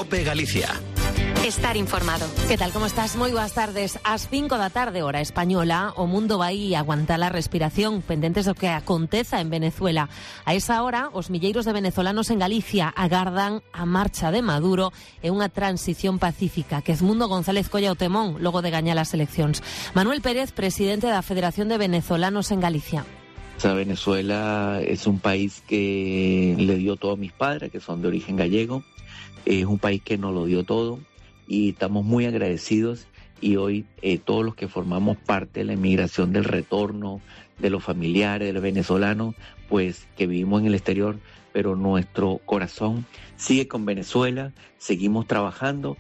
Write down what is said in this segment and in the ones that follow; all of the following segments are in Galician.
COPE Galicia. Estar informado. Que tal, como estás? Moi boas tardes. Ás 5 da tarde, hora española, o mundo vai aguantar a respiración, pendentes do que aconteza en Venezuela. A esa hora, os milleiros de venezolanos en Galicia agardan a marcha de Maduro e unha transición pacífica. Quezmundo González colla o temón logo de gañar as eleccións. Manuel Pérez, presidente da Federación de Venezolanos en Galicia. Venezuela es un país que le dio todo a mis padres, que son de origen gallego. Es un país que nos lo dio todo y estamos muy agradecidos, y hoy todos los que formamos parte de la inmigración, del retorno de los familiares, de los venezolanos, pues que vivimos en el exterior, pero nuestro corazón sigue con Venezuela, seguimos trabajando.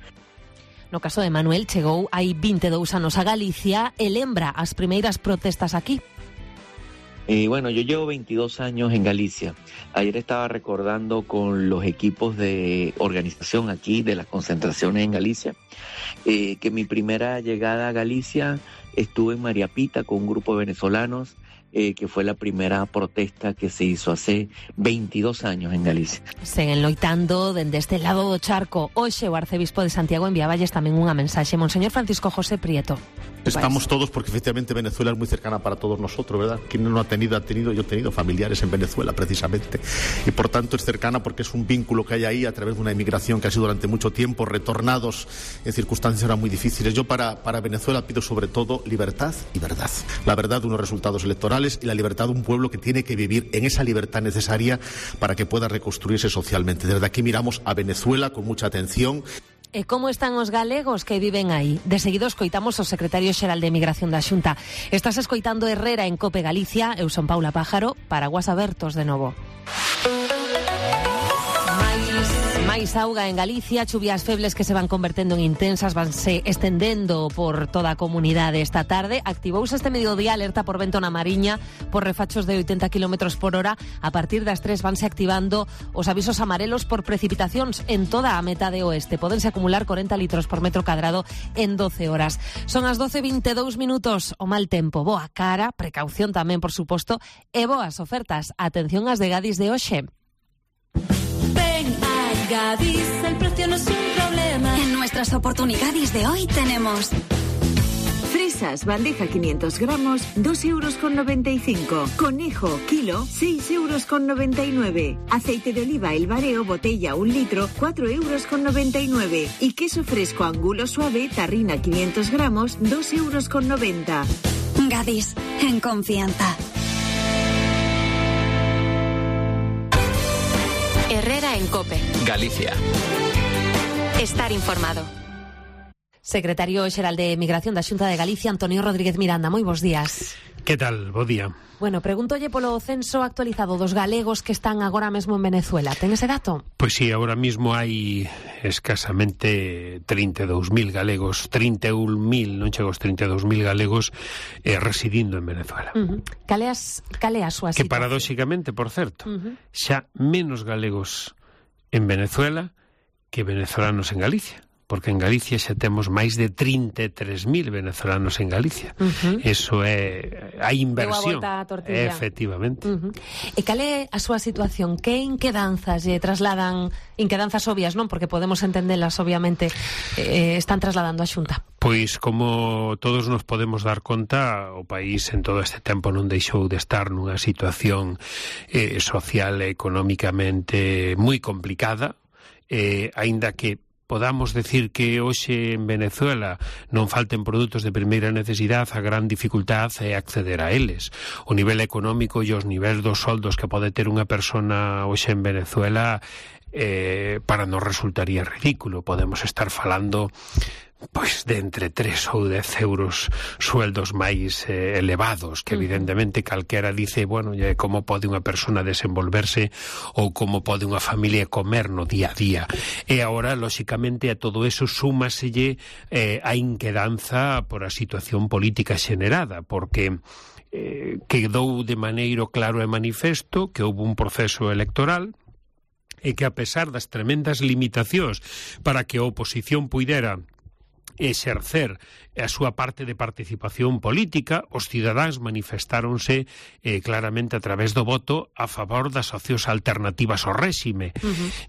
No caso de Manuel, chegou hai 22 anos a Galicia e lembra as primeiras protestas aquí. Bueno, yo llevo 22 años en Galicia. Ayer estaba recordando con los equipos de organización aquí de las concentraciones en Galicia, que mi primera llegada a Galicia estuve en María Pita con un grupo de venezolanos, que fue la primera protesta que se hizo hace 22 años en Galicia. Seguen loitando dende este lado do charco. Hoxe o arcebispo de Santiago enviaballes tamén unha mensaxe. Monseñor Francisco José Prieto. Estamos todos, porque efectivamente Venezuela es muy cercana para todos nosotros, ¿verdad? Quien no lo ha tenido, yo he tenido familiares en Venezuela precisamente, y por tanto es cercana porque es un vínculo que hay ahí a través de una inmigración que ha sido durante mucho tiempo, retornados en circunstancias ahora muy difíciles. Yo para Venezuela pido sobre todo libertad y verdad. La verdad de unos resultados electorales y la libertad de un pueblo que tiene que vivir en esa libertad necesaria para que pueda reconstruirse socialmente. Desde aquí miramos a Venezuela con mucha atención. E como están os galegos que viven aí? De seguido escoitamos o secretario xeral de Emigración da Xunta. Estás escoitando Herrera en COPE Galicia. Eu son Paula Pájaro, paraguas abertos de novo. Máis auga en Galicia, chuvias febles que se van convertendo en intensas, vanse estendendo por toda a comunidade esta tarde. Activouse este mediodía alerta por vento na Mariña por refachos de 80 km por hora. A partir das 3 vanse activando os avisos amarelos por precipitacións en toda a metade oeste. Pódense acumular 40 litros por metro cadrado en 12 horas. Son as 12:22 minutos. O mal tempo, boa cara, precaución tamén, por suposto, e boas ofertas. Atención ás de Gadis de hoxe. Gadis, el precio no es un problema. En nuestras oportunidades de hoy tenemos fresas, bandeja 500 gramos, 2,95 €. Conejo, kilo, 6,99 €. Aceite de oliva El Bareo, botella 1 litro, 4,99 €. Y queso fresco Angulo suave, tarrina 500 gramos, 2,90 €. Gadis, en confianza. Herrera en COPE Galicia. Estar informado. Secretario xeral de Emigración da Xunta de Galicia, Antonio Rodríguez Miranda. Moi bons días. Que tal? Bo día. Bueno, pregúntolle polo censo actualizado dos galegos que están agora mesmo en Venezuela. Ten ese dato? Pois sí, agora mismo hai escasamente 32.000 galegos, 31.000, non chego aos 32.000 galegos residindo en Venezuela. Cal é a súa situación? Que paradóxicamente, por certo, xa menos galegos en Venezuela que venezolanos en Galicia. Porque en Galicia xa temos máis de 33.000 venezolanos en Galicia. Eso é a inversión. Deu a volta a tortilla. Efectivamente. E cal é a súa situación? Que inquedanzas lle trasladan? Inquedanzas obvias, non? Porque podemos entendelas, obviamente, están trasladando a Xunta. Pois, como todos nos podemos dar conta, o país en todo este tempo non deixou de estar nunha situación social e económicamente moi complicada, aínda que podamos decir que hoxe en Venezuela non falten produtos de primeira necesidade, a gran dificultade é acceder a eles. O nivel económico e os niveis dos soldos que pode ter unha persona hoxe en Venezuela para nos resultaría ridículo. Podemos estar falando pois de entre 3 ou 10 euros sueldos máis elevados, que evidentemente calquera dice, bueno, como pode unha persona desenvolverse ou como pode unha familia comer no día a día. E agora, lóxicamente, a todo eso súmaselle a inquedanza por a situación política xenerada, porque quedou de maneiro claro e manifesto que houve un proceso electoral e que, a pesar das tremendas limitacións para que a oposición puidera exercer a súa parte de participación política, os cidadáns manifestáronse claramente a través do voto a favor das opcións alternativas ao réxime.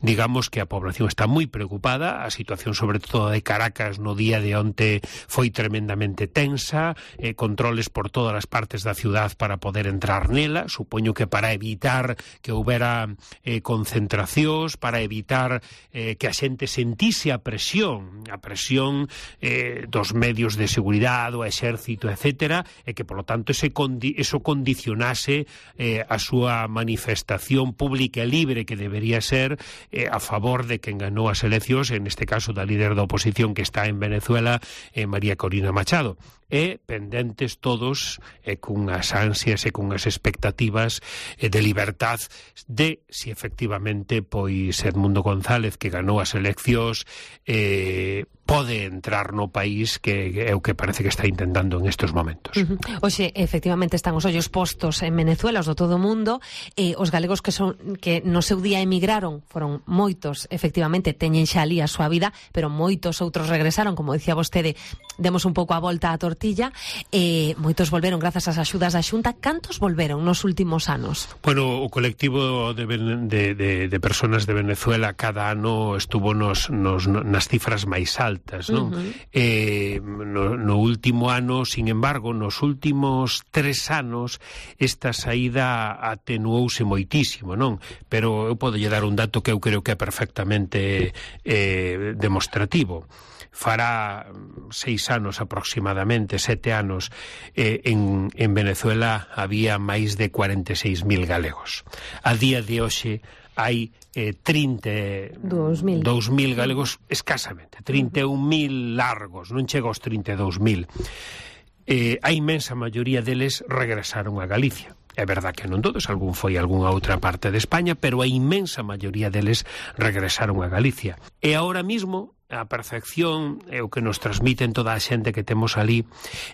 Digamos que a población está moi preocupada, a situación sobre todo de Caracas no día de onte foi tremendamente tensa, controles por todas as partes da ciudad para poder entrar nela, supoño que para evitar que houbera concentracións, para evitar que a xente sentise a presión dos medios de seguridade, o exército, etcétera, e que, polo tanto, eso condicionase a súa manifestación pública e libre que debería ser a favor de quen ganou as eleccións, en este caso da líder da oposición que está en Venezuela, María Corina Machado. E pendentes todos cunhas ansias e cunhas expectativas de libertad de si efectivamente pois Edmundo González, que ganou as eleccións, pode entrar no país, que é o que parece que está intentando en estes momentos. Oxe, efectivamente están os ollos postos en Venezuela, os do todo o mundo, os galegos que no seu día emigraron foron moitos, efectivamente teñen xa ali a súa vida, pero moitos outros regresaron, como dicía vostede, demos un pouco a volta á tortilla, moitos volveron grazas ás axudas da Xunta. Cantos volveron nos últimos anos? Bueno, o colectivo de personas de Venezuela cada ano estuvo nas cifras máis altas, non? No último ano, sin embargo, nos últimos 3 anos esta saída atenuouse moitísimo, non? Pero eu podo lle dar un dato que eu creo que é perfectamente demostrativo. Fará 6 anos aproximadamente, 7 anos, en Venezuela había máis de 46.000 galegos. A día de hoxe hai 32.000 galegos escasamente, 31.000 largos, non chega aos 32.000. A inmensa maioría deles regresaron a Galicia. É verdad que non todos, algún foi a algunha outra parte de España, pero a inmensa maioría deles regresaron a Galicia. E ahora mismo a percepción é o que nos transmiten toda a xente que temos ali,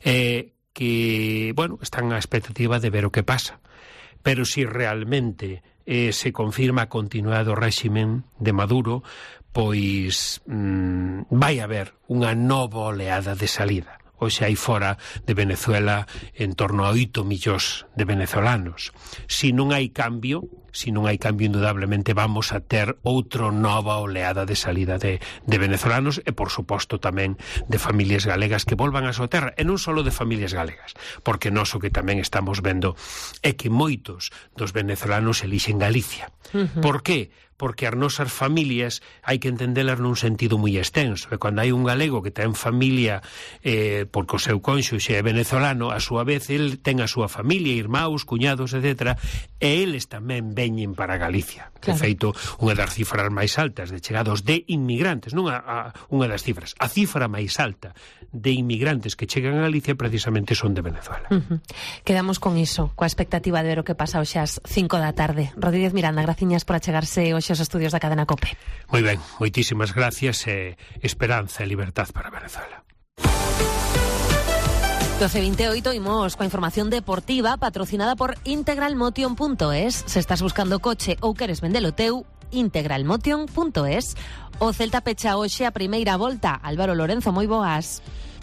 que, bueno, están á expectativa de ver o que pasa. Pero si realmente se confirma a continuidade do réximen de Maduro, pois vai haber unha nova oleada de salida. Hoxe hai fora de Venezuela en torno a 8 millóns de venezolanos. Si non hai cambio, indudablemente vamos a ter outra nova oleada de salida de venezolanos e, por suposto, tamén de familias galegas que volvan a súa terra, e non só de familias galegas, porque nós o que tamén estamos vendo é que moitos dos venezolanos elixen Galicia. Por qué? Porque as nosas familias hai que entendelas nun sentido moi extenso, e cando hai un galego que ten familia porque o seu cónxuxe é venezolano, a súa vez el ten a súa familia, irmãos, cuñados, etc., e eles tamén veñen para Galicia. Claro. De feito, unha das cifras máis altas de chegados de inmigrantes, non unha das cifras, a cifra máis alta de inmigrantes que chegan a Galicia precisamente son de Venezuela. Quedamos con iso, coa expectativa de ver o que pasa hoxe ás 5 da tarde. Rodríguez Miranda, graciñas por achegarse hoxe aos estudios da cadena COPE. Moi ben, moitísimas gracias e esperanza e libertad para Venezuela. 12:28, imos coa información deportiva patrocinada por integralmotion.es. Se estás buscando coche ou queres vendelo teu, integralmotion.es. O Celta pecha hoxe a primeira volta. Álvaro Lorenzo, moi boas.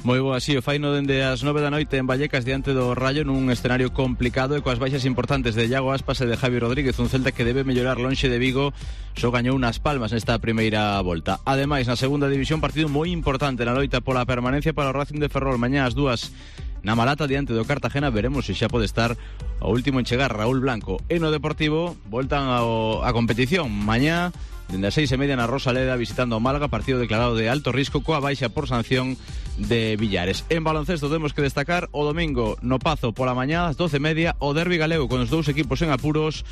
Moi boa, sí, o faino dende as 9 da noite en Vallecas diante do Rayo nun escenario complicado e coas baixas importantes de Iago Aspas e de Javi Rodríguez, un Celta que debe mellorar lonxe de Vigo, só gañou unas palmas nesta primeira volta. Ademais, na segunda división, partido moi importante na loita pola permanencia para o Racing de Ferrol, mañá ás 2 na Malata diante do Cartagena. Veremos se xa pode estar o último en chegar, Raúl Blanco. E no Deportivo voltan a competición mañá dende as 6:30 na Rosaleda visitando o Málaga, partido declarado de alto risco coa baixa por sanción de Villares. En baloncesto temos que destacar o domingo no Pazo pola mañá ás 12:30 o derbi galego con os dous equipos en apuros,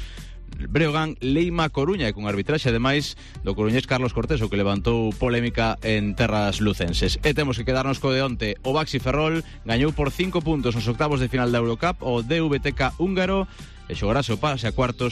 Breogán, Leima, Coruña, e con arbitraxe ademais do coruñés Carlos Cortés, o que levantou polémica en terras lucenses. E temos que quedarnos co de onte. O Baxi Ferrol gañou por 5 puntos nos octavos de final da Eurocup o DVTK húngaro e xogarase o pase a cuartos